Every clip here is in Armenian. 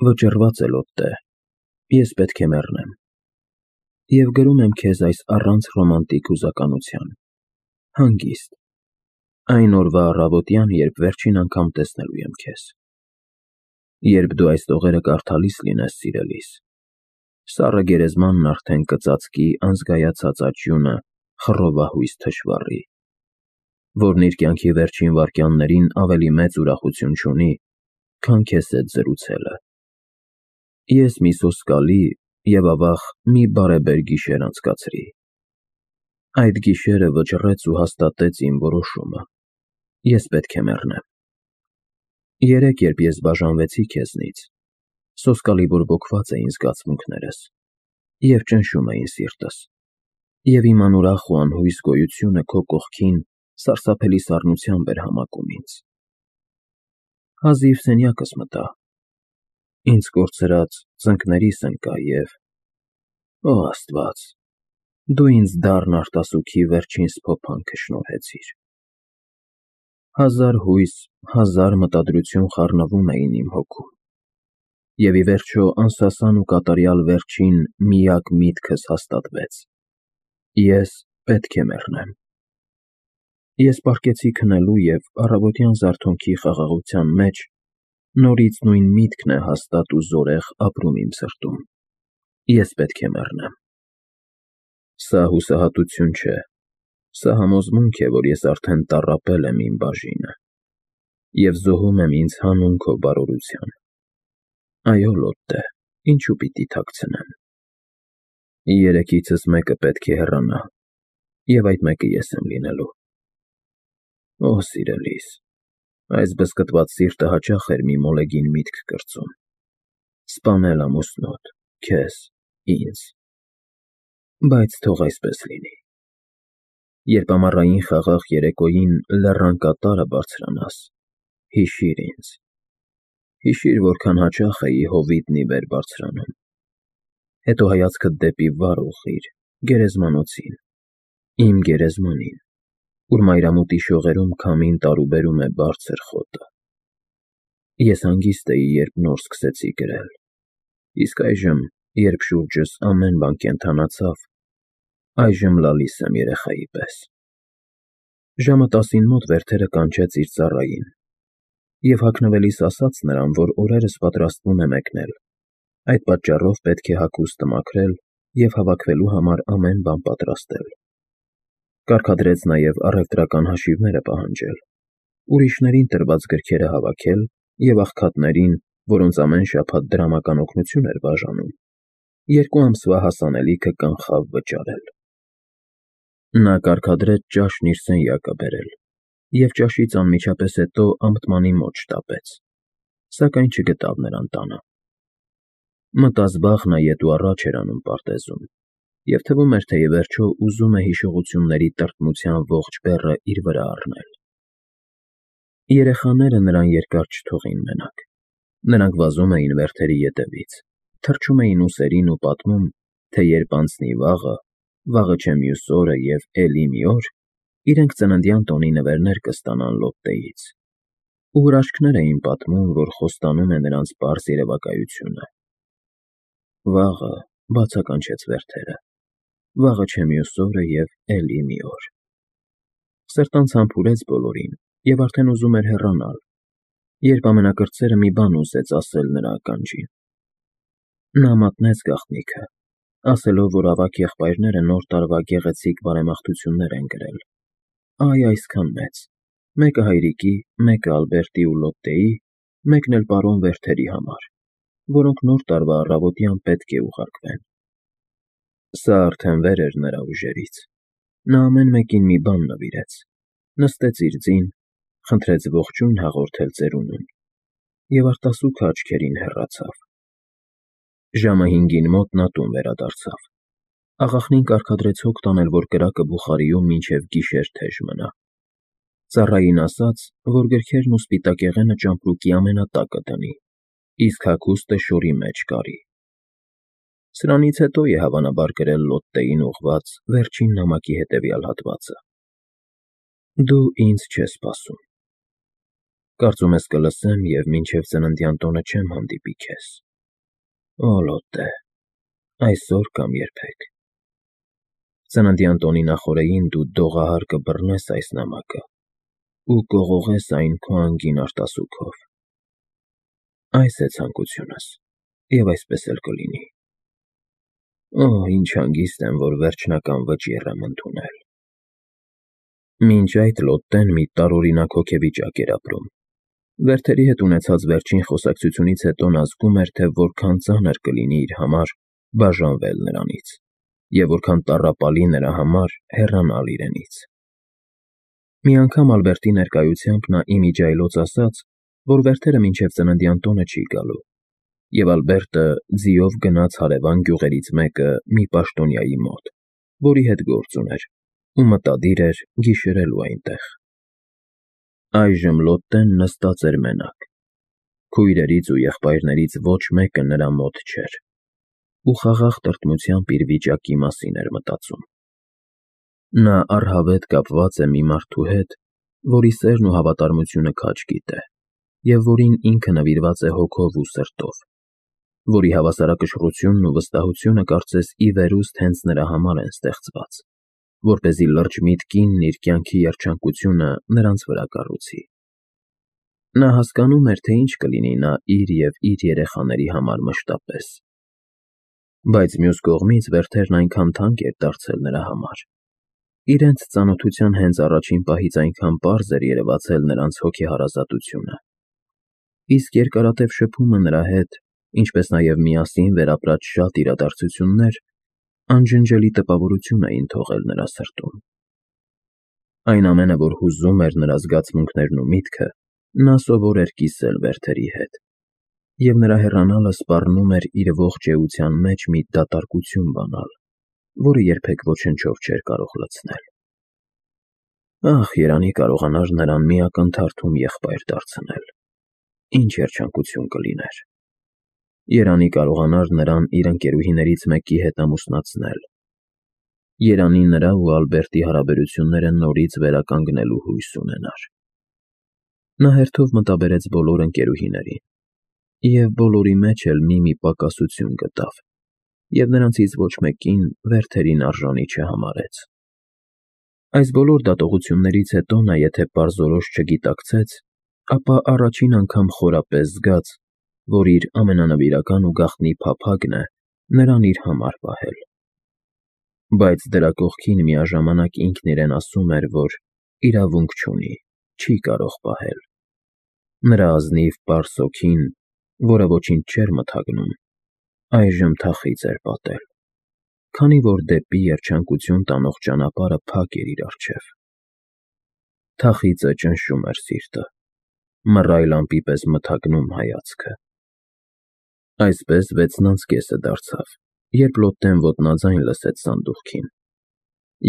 Վճռված է լոտտե, ես պետք է մեռնեմ, և գրում եմ քեզ այս առանց ռոմանտիկ հուզականության, հանգիստ, այն օրվա առավոտյան, երբ վերջին անգամ տեսնելու եմ քեզ, երբ դու այս տողերը կարդալիս լինես, սիրելիս, սառը գերեզմանն արդեն կծածկի անզգայացած աճյունը խռովահույս թշվառի, որն իր կյանքի վերջին վայրկյաններին ավելի մեծ ուրախություն չունի, քան քեզ հետ զրուցելը։ Ես մի սոսկալի և ավաղ մի բարեբեր գիշեր անցկացրի։ Այդ գիշերը վճռեց ու հաստատեց իմ որոշումը. ես պետք է մեռնեմ։ Երեկ, երբ ես բաժանվեցի քեզնից, սոսկալի բորբոքված էին զգացմունքներս և ճնշում էին սիրտս, և իմ անուրախ ու անհույս գոյությունը քո կողքին սարսափելի սառնությամբ էր համակում ինձ։ Հազիվ սենյակս մտա, ինձ կորցրած ծնկներիս ընկա և… Ո Աստված, դու ինձ դառն արտասուքի վերջին սփոփանքը շնորհեցիր։ Հազար հույս, հազար մտադրություն խառնվում էին իմ հոգում, և ի վերջո անսասան ու կատարյալ վերջին միակ միտքս հաստատվեց. ես պետք է մեռնեմ։ Ես պառկեցի քնելու և առավոտյան զարթոնքի խաղաղության մեջ նորից նույն միտքն է հաստատ ու զորեղ ապրում իմ սրտում. ես պետք է մեռնեմ։ Սա հուսահատություն չէ, սա համոզմունք է, որ ես արդեն տառապել եմ իմ բաժինը և զոհում եմ ինձ հանուն քո բարօրության։ Այո, լոտտե, ինչու պիտի թաքցնեմ։ Երեքիցս մեկը պետք է հեռանա, և այդ մեկը ես եմ լինելու։ Օ, սիրելիս, այս բզկտված սիրտը հաճախ էր մի մոլեգին միտք կրծում. սպանել ամուսնուդ, քեզ, ինձ։ Բայց թող այսպես լինի։ Երբ ամառային խաղաղ երեկոյին լեռան կատարը բարձրանաս, հիշիր ինձ։ Հիշիր, որքան հաճախ էի հովիտն ի վեր բարձրանում։ Հետո հայացքդ դեպի վար ուղղիր, գերեզմանոցին, իմ գերեզմանին, ուր մայրամուտի շողերում քամին տարուբերում է բարձր խոտը։ Ես հանգիստ էի, երբ նոր սկսեցի գրել, իսկ այժմ, երբ շուրջս ամեն բան կենդանացավ, այժմ լալիս եմ երեխայի պես։ Ժամը 10-ին մոտ Վերթերը կանչեց իր ծառային, և հագնվելիս ասաց նրան, որ օրերս պատրաստվում է մեկնել, այդ պատճառով պետք է հագուստը մաքրել և հավաքվելու համար ամեն բան պատրաստել։ Կարգադրեց նաև առևտրական հաշիվները պահանջել, ուրիշներին տրված գրքերը հավաքել և աղքատներին, որոնց ամեն շաբաթ դրամական օգնություն էր բաժանում, 2 ամսվա հասանելիքը կանխավ վճարել։ Նա կարգադրեց ճաշն իր սենյակը բերել և ճաշից անմիջապես հետո ամթմանի մոտ շտապեց, սակայն չգտավ նրան տանը։ Մտազբաղ նա ետ ու առաջ էր անում պարտեզում, և թվում էր, թե ի վերջո ուզում է հիշողությունների տրտմության ողջ բեռը իր վրա առնել։ Երեխաները նրան երկար չթողին մենակ։ Նրանք վազում էին Վերթերի ետևից, թռչում էին ուսերին ու պատմում, թե երբ անցնի վաղը, վաղը չէ մյուս օրը և էլի մի օր, իրենք ծննդյան տոնի նվերներ կստանան լոտտեից, ու հրաշքներ էին պատմում, որ խոստանում է նրանց պարզ երևակայությունը։ Վաղը, բացականչեց Վերթերը, վաղը չէ մյուս օրը և էլի մի օր։ Սրտանց համբուրեց բոլորին և արդեն ուզում էր հեռանալ, երբ ամենակրտսերը մի բան ուզեց ասել նրա ականջին։ Նա մատնեց գաղտնիքը, ասելով, որ ավագ եղբայրները Նոր տարվա գեղեցիկ բարեմաղթություններ են գրել, այ այսքան մեծ, մեկը հայրիկի, մեկը Ալբերտի ու Լոտտեի, մեկն էլ պարոն Վերթերի համար, որոնք Նոր տարվա առավոտյան պետք է ուղարկվեն։ Սա արդեն վեր էր նրա ուժերից։ Նա ամեն մեկին մի բան նվիրեց, նստեց իր ձին, խնդրեց ողջույն հաղորդել ծերունուն և արտասուքը աչքերին հեռացավ։ Ժամը 5-ին մոտ նա տուն վերադարձավ։ Աղախնին կարգադրեց հոգ տանել, որ կրակը բուխարիում մինչև գիշեր թեժ մնա։ Ծառային ասաց, որ գրքերն ու սպիտակեղենը ճամպրուկի ամենատակը դնի, իսկ հագուստը շորի մեջ կարի։ Սրանից հետո է հավանաբար գրել Լոտտեին ուղղված վերջին նամակի հետևյալ հատվածը. Դու ինձ չես սպասում։ Կարծում ես կլսեմ և մինչև ծննդյան տոնը չեմ հանդիպի քեզ։ Օ Լոտտե, այսօր կամ երբեք։ Ծննդյան տոնի նախօրեին դու դողահար կբռնես այս նամակը ու կողողես այն քո անգին արտասուքով։ Այս է ցանկությունս, և այսպես էլ կլինի։ Օ, ինչ հանգիստ եմ, որ վերջնական վճիռ եմ ընդունել։ Մինչ այդ Լոտտեն մի տարօրինակ հոգեվիճակ էր ապրում։ Վերթերի հետ ունեցած վերջին խոսակցությունից հետո նա զգում էր, թե որքան ծանր կլինի իր համար բաժանվել նրանից, և որքան տառապալի նրա համար հեռանալ իրենից։ Մի անգամ Ալբերտի ներկայությամբ նա իմիջիայլոց ասաց, որ Վերթերը մինչև ծննդյան տոնը չի գալու, և Ալբերտը ձիով գնաց հարևան գյուղերից մեկը մի պաշտոնյայի մոտ, որի հետ գործ ուներ, ու մտադիր էր գիշերելու այնտեղ։ Այժմ Լոտտեն նստած էր մենակ։ Քույրերից ու եղբայրներից ոչ մեկը նրա մոտ չէր, ու խաղաղ տրտմությամբ իր վիճակի մասին էր մտածում։ Նա առհավետ կապված է մի մարդու հետ, որի սերն ու հավատարմությունը քաջ գիտե, և որին ինքը նվիրված է հոգով ու սրտով, որի հավասարակշռությունն ու վստահությունը կարծես ի վերուստ հենց նրա համար են ստեղծված, որպեսզի լրջմիտ կինն իր կյանքի երջանկությունը նրանց վրա կառուցի։ Նա հասկանում էր, թե ինչ կլինի նա իր և իր երեխաների համար մշտապես։ Բայց մյուս կողմից Վերթերն այնքան թանկ էր դարձել նրա համար։ Իրենց ծանոթության հենց առաջին պահից այնքան պարզ էր երևացել նրանց հոգեհարազատությունը։ Իսկ երկարատև շփումը նրա հետ, ինչպես նաև միասին վերապրած շատ իրադարձություններ անջնջելի տպավորություն էին թողել նրա սրտում։ Այն ամենը, որ հուզում էր նրա զգացմունքներն ու միտքը, նա սովոր էր կիսել Վերթերի հետ, և նրա հեռանալը սպառնում էր իր ողջ էության մեջ մի դատարկություն բանալ, որը երբեք ոչնչով չէր կարող լցնել։ Ախ, երանի կարողանար նրան մի ակնթարթում եղբայր դարձնել, ինչ երջանկություն կլիներ։ Երանի կարողանար նրան իր ընկերուհիներից մեկի հետ ամուսնացնել։ Երանի նրա ու Ալբերտի հարաբերությունները նորից վերականգնելու հույս ունենար։ Նա հերթով մտաբերեց բոլոր ընկերուհիներին, և բոլորի մեջ էլ մի պակասություն գտավ, և նրանցից ոչ մեկին Վերթերին արժանի չհամարեց։ Այս բոլոր դատողություններից հետո նա եթե պարզորոշ չգիտակցեց, ապա առաջին անգամ խորապես զգաց, որ իր ամենանվիրական ու գաղտնի փափագն է նրան իր համար պահել։ Բայց դրա կողքին միաժամանակ ինքն իրեն ասում էր, որ իրավունք չունի, չի կարող պահել։ Նրա ազնիվ պարզ հոգին, որը ոչինչ չէր մթագնում, այժմ թախիծ էր պատել, քանի որ դեպի երջանկություն տանող ճանապարհը փակ էր իր առջև։ Թախիծը ճնշում էր սիրտը, մռայլ ամպի պես մթագնում հայացքը։ Այսպես 6:30 դարձավ, երբ Լոտտեն ոտնաձայն լսեց սանդուղքին,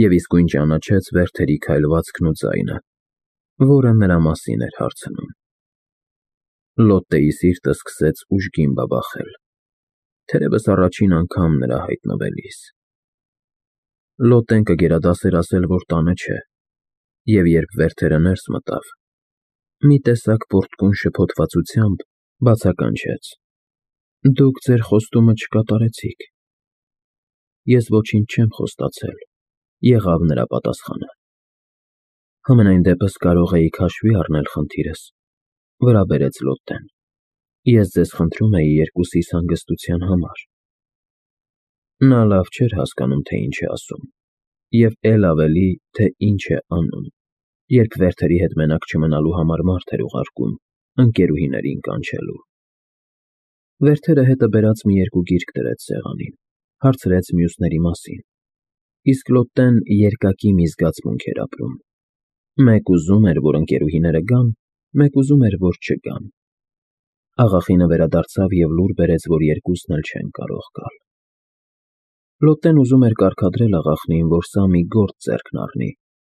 և իսկույն ճանաչեց Վերթերի քայլվածքն ու ձայնը, որը նրա մասին էր հարցնում։ Լոտտեի սիրտը սկսեց ուժգին բաբախել, թերևս առաջին անգամ նրա հայտնվելիս։ Լոտտեն կգերադասեր ասել, որ տանը չէ, և երբ Վերթերը ներս մտավ, մի տեսակ պոռթկուն շփոթվածությամբ բացականչեց. «Դուք ձեր խոստումը չկատարեցիք»։ Ես ոչինչ չեմ խոստացել, եղավ նրա պատասխանը։ Համենայն դեպս կարող էիք հաշվի առնել խնդիրս, վրա բերեց Լոտտեն։ Ես ձեզ խնդրում էի երկուսիս հանգստության համար։ Նա լավ չէր հասկանում, թե ինչ է ասում, և էլ ավելի, թե ինչ է անում, երբ Վերթերի հետ մենակ չմնալու համար մարդ էր ուղարկում ընկերուհիներին կանչելու։ Վերթերը հետը բերած մի երկու գիրք դրեց սեղանին, հարցրեց մյուսների մասին, իսկ Լոտտեն երկակի մի զգացմունք էր ապրում։ Մեկ ուզում էր, որ ընկերուհիները գան, մեկ ուզում էր, որ չգան։ Աղախինը վերադարձավ և լուր բերեց, որ երկուսն էլ չեն կարող գալ։ Լոտտեն ուզում էր կարգադրել աղախնին, որ սա մի գործ ձեռքն առնի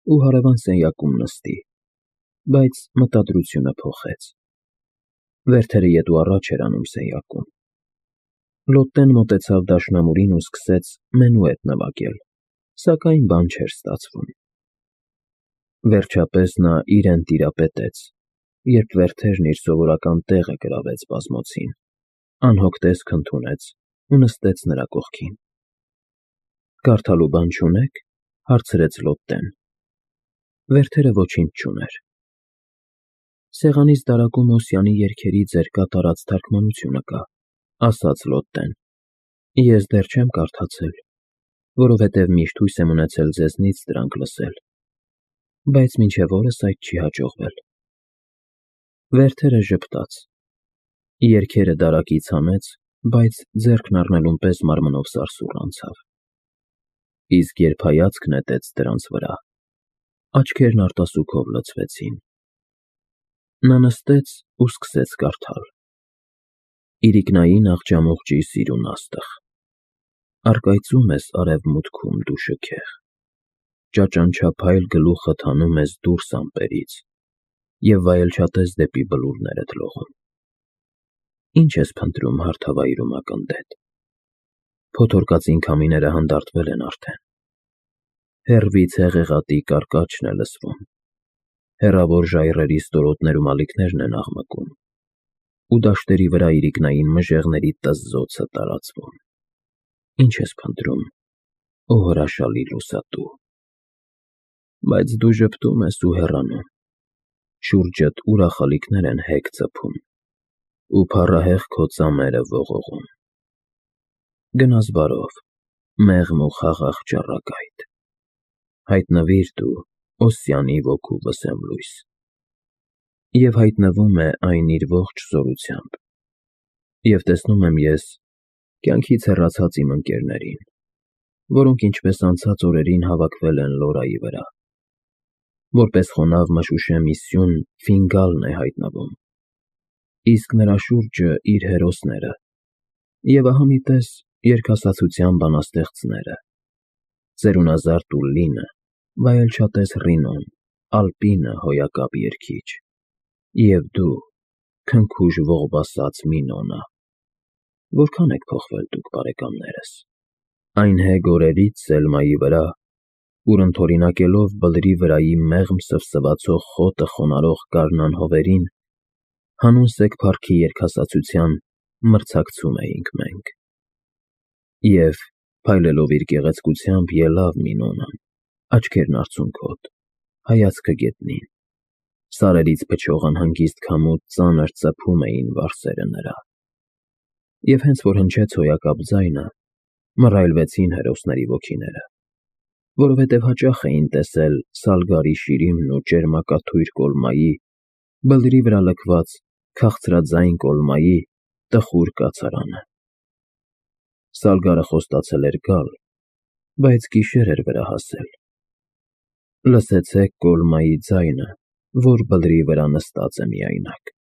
ու հարևան սենյակում նստի, բայց մտադրությունը փոխեց։ Վերթերը ետ ու առաջ էր անում սենյակում։ Լոտտեն մոտեցավ դաշնամուրին ու սկսեց մենուետ նվագել, սակայն բան չէր ստացվում։ Վերջապես նա իրեն տիրապետեց, երբ Վերթերն իր սովորական տեղը գրավեց բազմոցին։ Անհոգ տեսք ընդունեց ու նստեց նրա կողքին։ Կարդալու բան չունե՞ք, հարցրեց Լոտտեն։ Վերթերը ոչինչ չուներ։ Սեղանից դարակում Օսյանի երգերի ձեր կատարած թարգմանությունը կա, ասաց Լոտտեն։ Ես դեռ չեմ կարդացել, որովհետև միշտ հույս եմ ունեցել ձեզնից դրանք լսել, բայց մինչև օրս այդ չի հաջողվել։ Վերթերը ժպտաց։ Երգերը դարակից հանեց, բայց ձեռքն առնելուն պես մարմնով սարսուռ անցավ։ Իսկ երբ հայացք նետեց դրանց վրա, աչքերն արտասուքով լցվեցին։ Նա նստեց ու սկսեց կարդալ. Իրիկնային աղջամուղջի սիրուն աստղ, առկայծում ես արևմուտքում դու շքեղ, ճաճանչափայլ գլուխդ հանում ես դուրս ամպերից և վայելչատես դեպի բլուրներդ լողում։ Ինչ ես փնտրում հարթավայրում ակնտետ, փոթորկածին քամիները հանդարտվել են արդեն, հեռվից հեղեղատի կարկաչն է լսվում, հեռավոր ժայռերի ստորոտներում ալիքներն են աղմկում, ու դաշտերի վրա իրիկնային մժեղների տզզոցը տարածվում։ Ինչ ես փնտրում, ո հրաշալի լուսատու։ Բայց դու ժպտում ես ու հեռանում, շուրջդ ուրախալիքներ են հեգ ծփում, ու փառահեղ քո ծամերը ողողում։ Գնաս բարով, մեղմ ու խաղաղ ճառագայթ, հայտնվիր դու Օսյանի ոգու վսեմլույս։ Եվ հայտնվում է այն իր ողջ զորությամբ, և տեսնում եմ ես կյանքից հեռացած իմ ընկերներին, որոնք ինչպես անցած օրերին հավաքվել են Լորայի վրա։ Որպես խոնավ մշուշե մի սյուն ֆինգալն է հայտնվում, իսկ նրա շուրջը իր հերոսները, և ահա մի տես երգասացության բանաստեղծները, ծերունազարդ Ուլլինը, վայելչատես Ռինոն, Ալպինը հոյակապ երգիչ, և դու, քնքուշ ողբասած Մինոնը։ Որքան եք փոխվել դուք, բարեկամներս, այն հեգ օրերից Սելմայի վրա, ուր ընդօրինակելով բլրի վրայի մեղմ սվսվացող խոտը խոնարհող գարնան հովերին, հանուն սեկ փառքի երգասացության մրցակցում էինք մենք։ Եվ, փայլելով իր գեղեցկությամբ, ելավ Մինոնան, աչքերն արցունքոտ, հայացքը գետնին, սարերից փչող անհանգիստ քամու ծանր ծփում էին վարսերը նրա։ Եվ հենց որ հնչեց հոյակապ ձայնը, մռայլվեցին հերոսների ոգիները, որովհետև հաճախ էին տեսել Սալգարի շիրիմն ու ճերմակաթույր կոլմայի, բլրի վրա լքված քաղցրաձայն կոլմայի տխուր կացարանը։ Սալգարը խոստացել էր գալ, բայց գիշեր էր վրա հասել։ Լսեցեք կոլմայի ձայնը, որ բլրի վրա նստած է միայնակ։